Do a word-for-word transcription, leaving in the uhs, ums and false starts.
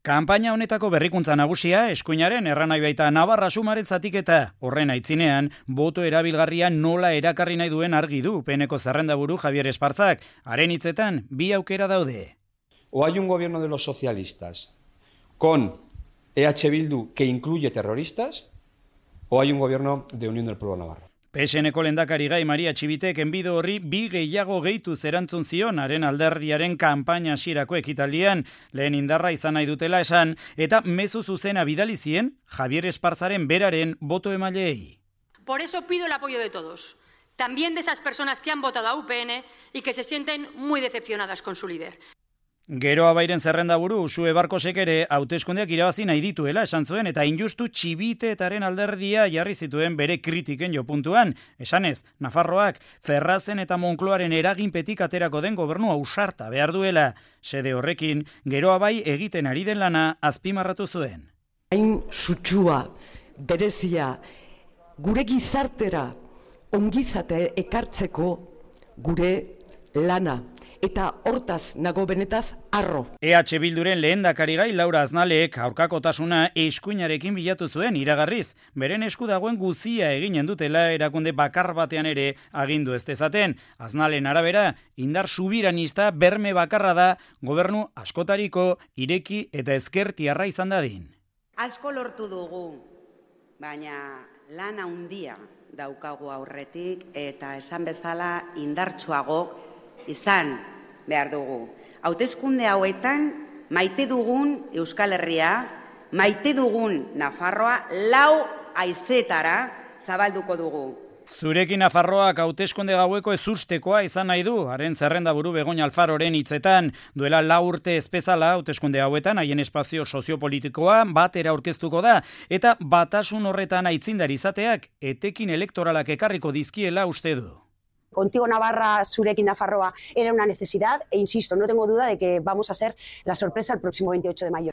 Kanpaina honetako berrikuntza nagusia, eskuinaren erranai baita Navarra Sumaren zatiketa. Horren aitzinean, boto erabilgarria nola erakarri nahi duen argi du Peneko zerrendaburu Javier Espartzak. Haren hitzetan, bi aukera daude. O hay un gobierno de los socialistas con E H Bildu que incluye terroristas, o hay un gobierno de Unión del Pueblo Navarro. P S N-ko lehendakari gai Maria Txibitek enbido horri bi gehiago gehitu zerantzun zion haren alderdiaren kanpaina hasierako ekitaldian, lehen indarra izan nahi dutela esan, eta mezu zuzena bidali zien Javier Espartzaren beraren boto emaileei. Por eso pido el apoyo de todos, también de esas personas que han votado a U P N y que se sienten muy decepcionadas con su líder. Gero Abairen zerrendaburu Usue Barkosek ere hauteskundeak irabazi nahi dituela esan zuen eta injustu Txibiteetaren alderdia jarri zituen bere kritiken jopuntuan. Esanez, Nafarroak Ferrazen eta Monkloaren eraginpetik aterako den gobernua ausarta behar duela. Sede horrekin, Gero Abai egiten ari den lana azpimarratu zuen. Hain sutsua, berezia, gure gizartera ongizate ekartzeko gure lana. Eta hortaz nago benetaz arro. E H Bilduren lehendakari gai Laura Aznalek aurkakotasuna eskuinarekin bilatu zuen iragarriz. Beren esku dagoen guzia eginen dutela erakunde bakar batean ere agindu ez dezaten. Aznalen arabera, indar subiranista berme bakarra da gobernu askotariko ireki eta ezkertiarra izan dadin. Asko lortu dugu, baina lana handia daukagu aurretik eta esan bezala indartsuago izan behar dugu. Hauteskunde hauetan maite dugun Euskal Herria, maite dugun Nafarroa lau haizetara zabalduko dugu. Zurekin Nafarroak hauteskunde gaueko ezustekoa izan nahi du, haren zerrendaburu Begoña Alfaroren hitzetan, duela lau urte ezpezala hauteskunde hauetan haien espazio soziopolitikoa batera aurkeztuko da, eta batasun horretan aitzindari izateak etekin elektoralak ekarriko dizkiela uste du. Contigo Navarra, Zurekin Nafarroa era una necesidad e insisto, no tengo duda de que vamos a ser la sorpresa el próximo veintiocho de mayo.